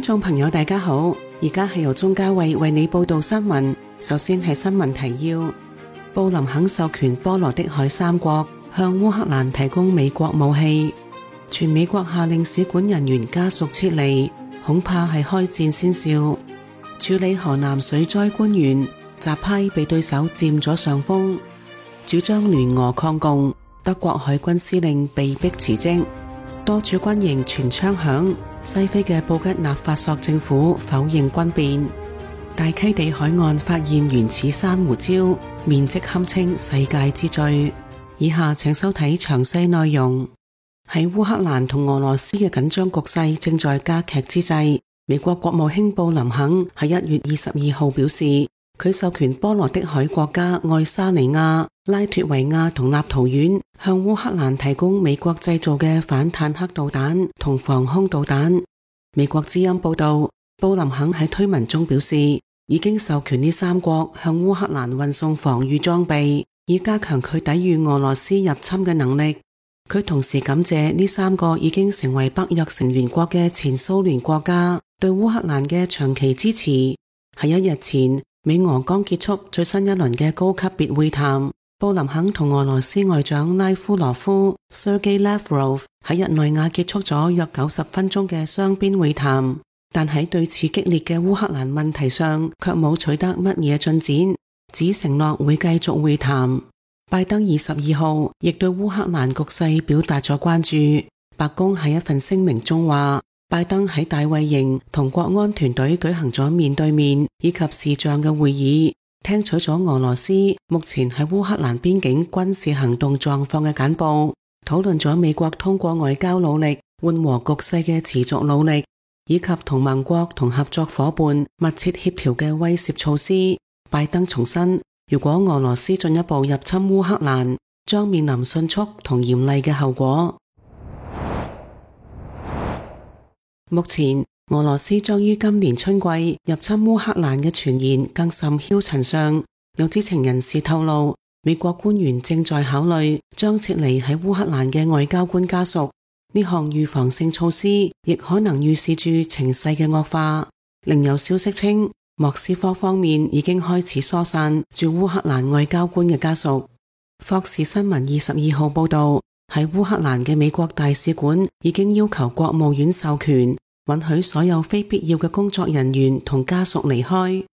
眾朋友大家好，而家係由鍾嘉慧為你報道新聞。首先係新聞提要：布林肯授權波羅的海三國向烏克蘭提供美國武器，全美國下令使館人員家屬撤離，恐怕係開戰先兆。處理河南水災官員習批被對手佔咗上風，主張聯俄抗共，德國海軍司令被迫辭職。多處軍營傳槍響，西非嘅布吉納法索政府否認軍變。大溪地海岸發現原始珊瑚礁，面積堪稱世界之最。以下請收睇詳細內容。喺烏克蘭同俄羅斯嘅緊張局勢正在加劇之際，美國國務卿布林肯喺1月22號表示，佢授權波羅的海國家愛沙尼亞、拉脫維亞同立陶宛向烏克蘭提供美國製造嘅反坦克導彈同防空導彈。美國之音報道，布林肯喺推文中表示，已經授權呢三國向烏克蘭運送防禦裝備，以加強佢抵禦俄羅斯入侵嘅能力。佢同時感謝呢三個已經成為北約成員國嘅前蘇聯國家對烏克蘭嘅長期支持。喺1日前，美俄剛結束最新一輪嘅高級別會談，布林肯同俄羅斯外長拉夫羅夫 Sergei Lavrov 喺日內瓦結束咗約90分鐘嘅雙邊會談，但喺對峙激烈嘅烏克蘭問題上卻冇取得乜嘢進展，只承諾會繼續會談。拜登22號亦對烏克蘭局勢表達咗關注。白宮喺一份聲明中話，拜登喺大衛營同國安團隊舉行咗面對面以及視像嘅會議，聽取咗俄羅斯目前喺烏克蘭邊境軍事行動狀況嘅簡報，討論咗美國通過外交努力緩和局勢嘅持續努力，以及同盟國同合作夥伴密切協調嘅威懾措施。拜登重申，如果俄羅斯進一步入侵烏克蘭，將面臨迅速同嚴厲嘅後果。目前，俄羅斯將於今年春季入侵烏克蘭嘅傳言更甚囂塵上。有知情人士透露，美國官員正在考慮將撤離喺烏克蘭嘅外交官家屬。呢項預防性措施亦可能預示住情勢嘅惡化。另有消息稱，莫斯科方面已經開始疏散駐烏克蘭外交官嘅家屬。霍士新聞22號報道，喺烏克蘭嘅美國大使館已經要求國務院授權，允許所有非必要嘅工作人員同家屬離開。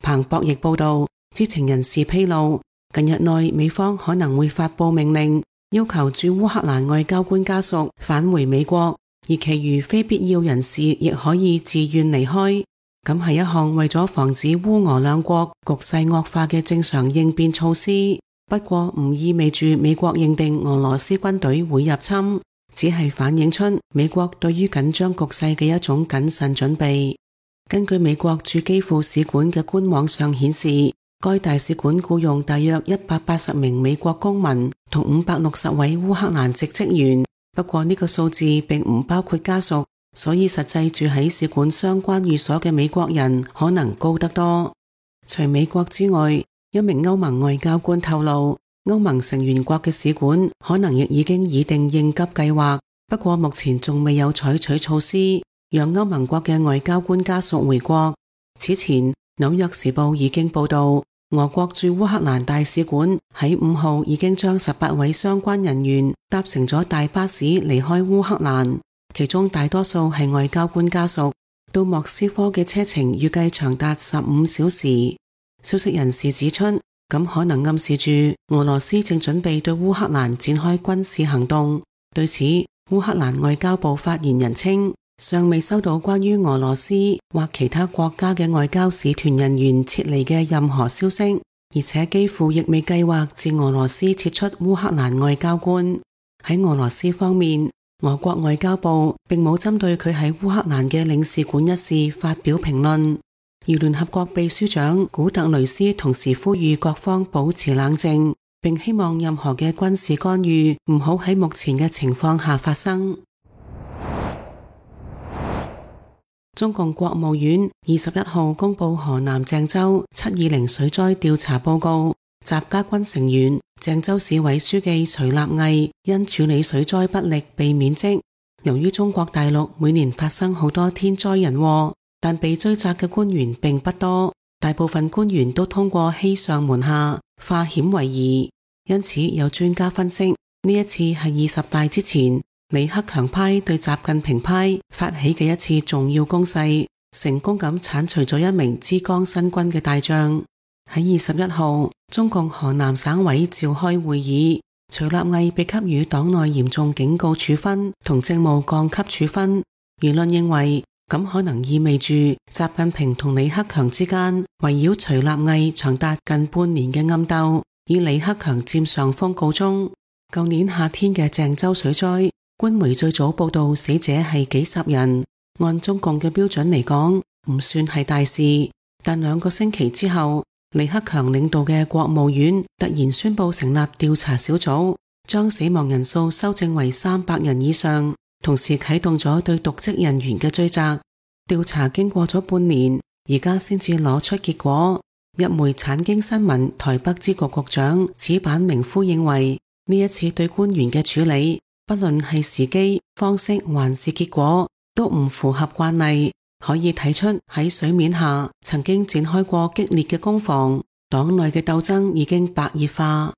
彭博亦報道，知情人士披露，近日內美方可能會發佈命令，要求駐烏克蘭外交官家屬返回美國，而其餘非必要人士亦可以自願離開。咁係一項為咗防止烏俄兩國局勢惡化嘅正常應變措施，不過唔意味住美國認定俄羅斯軍隊會入侵，只係反映出美國對於緊張局勢嘅一種謹慎準備。根據美國駐基輔使館嘅官網上顯示，該大使館僱用大約180名美國公民同560位烏克蘭籍職員，不過呢個數字並唔包括家屬，所以實際住喺使館相關寓所嘅美國人可能高得多。除美國之外，一名歐盟外交官透露，歐盟成員國嘅使館可能亦已經擬定應急計劃，不過目前仲未有採取措施，讓歐盟國嘅外交官家屬回國。此前，紐約時報已經報道，俄國駐烏克蘭大使館喺5號已經將18位相關人員搭乘咗大巴士離開烏克蘭，其中大多數係外交官家屬。到莫斯科嘅車程預計長達15小時。消息人士指出，咁可能暗示住俄羅斯正準備對烏克蘭展開軍事行動。對此，烏克蘭外交部發言人稱，尚未收到關於俄羅斯或其他國家嘅外交使團人員撤離嘅任何消息，而且幾乎亦未計劃自俄羅斯撤出烏克蘭外交官。喺俄羅斯方面，俄國外交部並冇針對佢喺烏克蘭嘅領事館一事發表評論，而聯合國秘書長古特雷斯同時呼籲各方保持冷靜，並希望任何嘅軍事干預唔好喺目前嘅情況下發生。中共國務院21號公布河南鄭州720水災調查報告，習家軍成員鄭州市委書記徐立毅因處理水災不力被免職。由於中國大陸每年發生好多天災人禍，但被追責嘅官員並不多，大部分官員都通過欺上瞞下，化險為夷。因此有專家分析，呢一次係20大之前李克強派對習近平派發起嘅一次重要攻勢，成功咁剷除咗一名之江新軍嘅大將。喺21號，中共河南省委召開會議，徐立毅被給予黨內嚴重警告處分同政務降級處分。輿論認為，咁可能意味住習近平同李克強之間圍繞徐立毅長達近半年嘅暗鬥，以李克強佔上風告終。舊年夏天嘅鄭州水災，官媒最早報道死者係幾十人，按中共嘅標準嚟講，唔算係大事。但2個星期之後，李克強領導嘅國務院突然宣布成立調查小組，將死亡人數修正為300人以上，同時啟動咗對瀆職人員嘅追責。調查經過咗半年，而家先至攞出結果。日媒產經新聞台北支局局長矢板明夫認為，呢一次對官員嘅處理，不論係時機、方式還是結果，都唔符合慣例。可以睇出喺水面下曾經展開過激烈嘅攻防，黨內嘅鬥爭已經白熱化。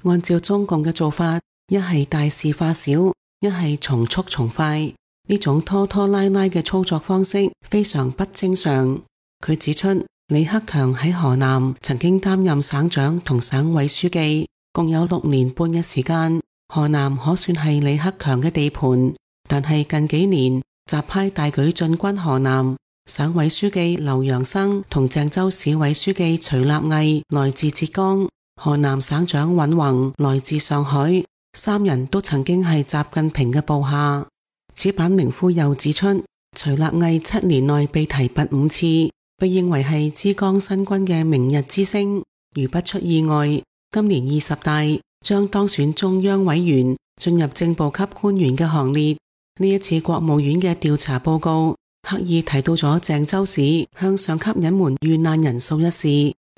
按照中共嘅做法，一係大事化小，一係從速從快，呢種拖拖拉拉嘅操作方式非常不正常。佢指出，李克強喺河南曾經擔任省長同省委書記，共有6年半嘅時間，河南可算係李克強嘅地盤。但係近幾年習派大舉進軍河南，省委書記劉陽生同鄭州市委書記徐立毅來自浙江，河南省長尹宏來自上海，3人都曾經係習近平嘅部下。矢板明夫又指出，徐立毅7年內被提拔5次，被認為係之江新軍嘅明日之星。如不出意外，今年20大將當選中央委員，進入正部級官員嘅行列。呢一次國務院嘅調查報告刻意提到咗鄭州市向上級隱瞞遇難人數一事，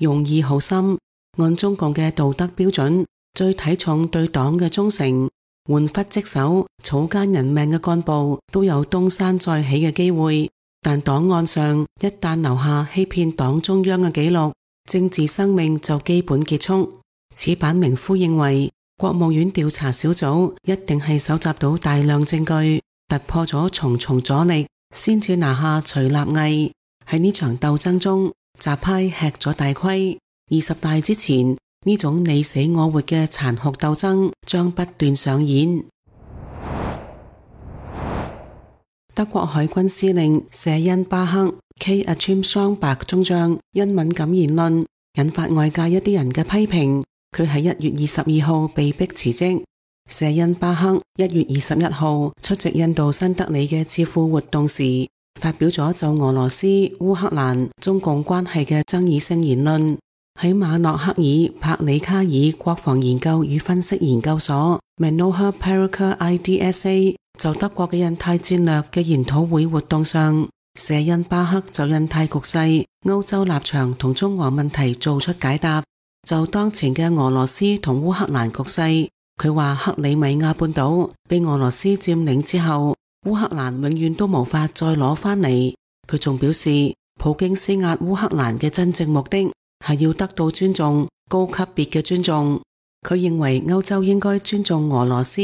用意好深。按中共嘅道德標準，最睇重對黨嘅忠誠，玩忽職守、草菅人命嘅幹部都有東山再起嘅機會。但檔案上一旦留下欺騙黨中央嘅記錄，政治生命就基本結束。矢板明夫認為，國務院調查小組一定係搜集到大量證據，突破咗重重阻力，先至拿下徐立毅。喺呢場鬥爭中，習派吃咗大虧。20大之前，呢種你死我活嘅殘酷鬥爭將不斷上演。德國海軍司令舍恩巴克 K. Achim Schomburg 中將因敏感言論引發外界一啲人嘅批評，佢喺1月22號被迫辭職。舍恩巴克1月21號出席印度新德里嘅智庫活動時，發表咗就俄羅斯、烏克蘭、中共關係嘅爭議性言論。喺馬諾克爾帕里卡爾國防研究與分析研究所 Manohar Parrikar IDSA 就德國嘅印太戰略嘅研討會活動上，舍恩巴克就印太局勢、歐洲立場同中俄問題做出解答。就當前嘅俄羅斯同烏克蘭局勢，佢話克里米亞半島被俄羅斯佔領之後，烏克蘭永遠都無法再攞返嚟。佢仲表示，普京施壓烏克蘭嘅真正目的係要得到尊重，高級別嘅尊重。佢認為歐洲應該尊重俄羅斯，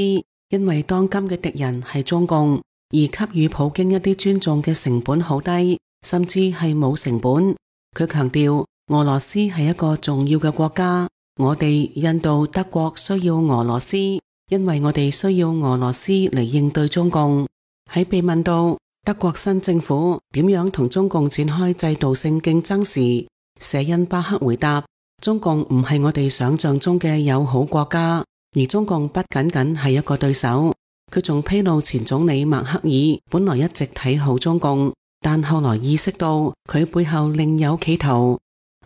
因為當今嘅敵人係中共，而給予普京一啲尊重嘅成本好低，甚至係冇成本。佢強調，俄羅斯係一個重要嘅國家，我哋印度、德國需要俄羅斯，因為我哋需要俄羅斯嚟應對中共。喺被問到德國新政府點樣同中共展開制度性競爭時，舍恩巴克回答，中共唔係我哋想象中嘅友好國家，而中共不僅僅係一個對手。佢仲披露前總理默克爾本來一直睇好中共，但後來意識到佢背後另有企圖。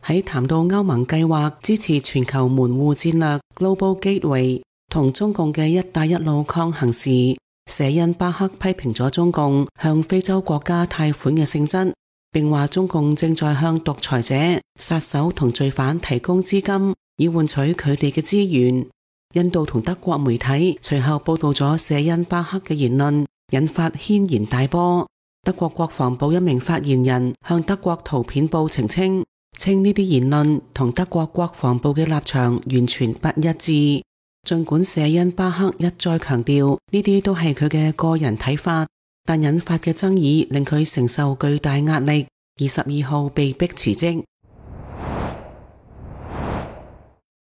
喺談到歐盟計劃支持全球門戶戰略 Global Gateway 同中共嘅一帶一路抗衡時，舍恩巴克批評咗中共向非洲國家貸款嘅性質，並話中共正在向獨裁者、殺手同罪犯提供資金，以換取佢哋嘅資源。印度同德國媒體隨後報道咗舍恩巴克嘅言論，引發軒然大波。德國國防部一名發言人向德國圖片報澄清，稱呢啲言論同德國國防部嘅立場完全不一致。儘管舍恩巴克一再強調呢啲都係佢嘅個人睇法，但引發嘅爭議令佢承受巨大壓力，22號被迫辭職。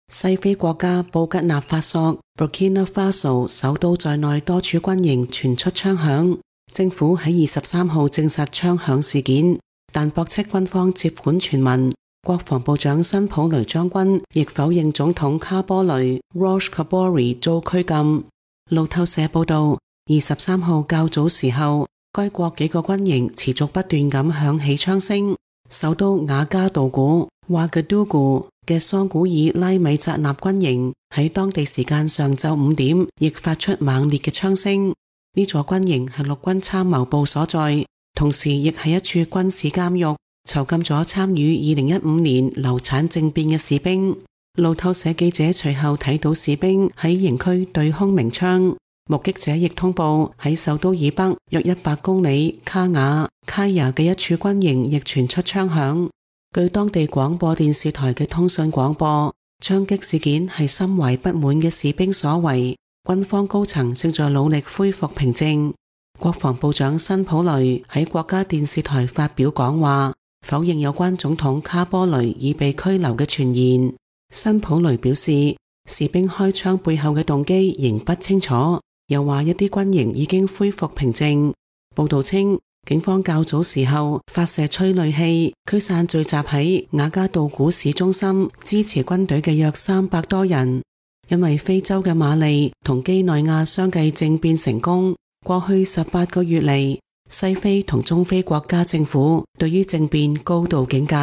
西非國家布吉納法索 Burkina Faso 首都在內多處軍營傳出槍響，政府喺23號證實槍響事件，但駁斥軍方接管傳聞。國防部長辛普雷將軍亦否認總統卡波雷 Roch Kabore 遭拘禁。路透社報道，23號較早時候，該國幾個軍營持續不斷咁響起槍聲。首都瓦加杜古 Ouagadougou 嘅桑古爾拉米扎納軍營喺當地時間上晝5點亦發出猛烈嘅槍聲。呢座軍營係陸軍參謀部所在，同時亦係一處軍事監獄，囚禁咗參與2015年流產政變嘅士兵。路透社記者隨後睇到士兵喺營區對空鳴槍，目擊者亦通報喺首都以北約100公里卡雅嘅一處軍營亦傳出槍響。據當地廣播電視台嘅通訊廣播，槍擊事件係心懷不滿嘅士兵所為，軍方高層正在努力恢復平靜。國防部長辛普雷喺國家電視台發表講話，否認有關總統卡波雷已被拘留嘅傳言。辛普雷表示，士兵開槍背後嘅動機仍不清楚，又話一啲軍營已經恢復平靜。報道稱，警方較早時候發射催淚氣驅散聚集喺瓦加杜古市中心支持軍隊嘅約300多人。因為非洲嘅馬利同幾內亞相繼政變成功，過去18個月嚟，西非同中非國家政府對於政變高度警戒。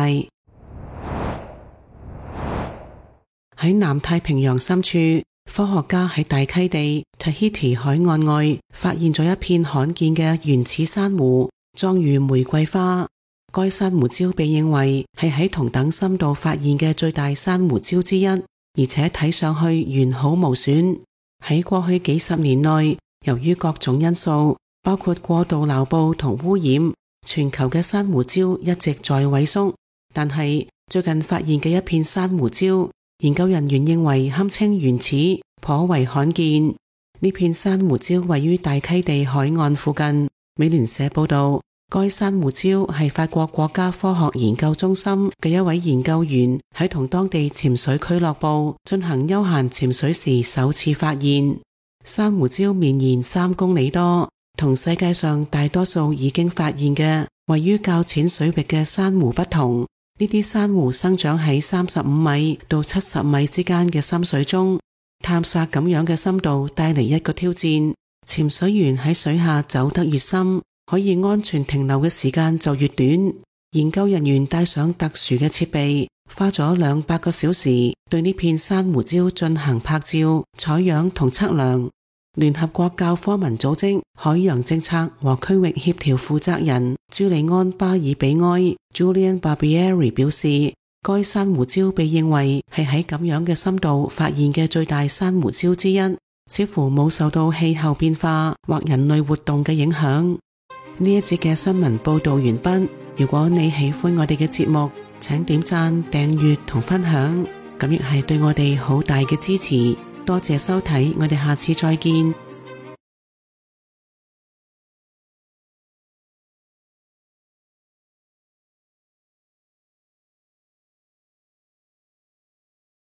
喺南太平洋深處，科學家喺大溪地 Tahiti 海岸外發現咗一片罕見嘅原始珊瑚，狀如玫瑰花。該珊瑚礁被認為係喺同等深度發現嘅最大珊瑚礁之一，而且睇上去完好無損。喺過去幾十年內，由於各種因素，包括過度撈捕同污染，全球嘅珊瑚礁一直在萎縮。但係最近發現嘅一片珊瑚礁，研究人員認為堪稱原始，頗為罕見。呢片珊瑚礁位於大溪地海岸附近。美聯社報道，該珊瑚礁係法國國家科學研究中心嘅一位研究員喺同當地潛水俱樂部進行休閒潛水時首次發現。珊瑚礁綿延3公里多，同世界上大多數已經發現嘅位於較淺水域嘅珊瑚不同。呢啲珊瑚生長喺35米到70米之間嘅深水中，探索咁樣嘅深度帶嚟一個挑戰。潛水員喺水下走得越深，可以安全停留嘅時間就越短。研究人員帶上特殊嘅設備，花咗200個小時對呢片珊瑚礁進行拍照、採樣同測量。聯合國教科文組織海洋政策和區域協調負責人朱利安巴爾比埃 Julian Barbieri 表示，該珊瑚礁被認為係喺咁樣嘅深度發現嘅最大珊瑚礁之一，似乎冇受到氣候變化或人類活動嘅影響。呢一節嘅新聞報道完畢。如果你喜歡我哋嘅節目，請點讚、訂閱同分享，咁亦係對我哋好大嘅支持。多謝收睇，我哋下次再見。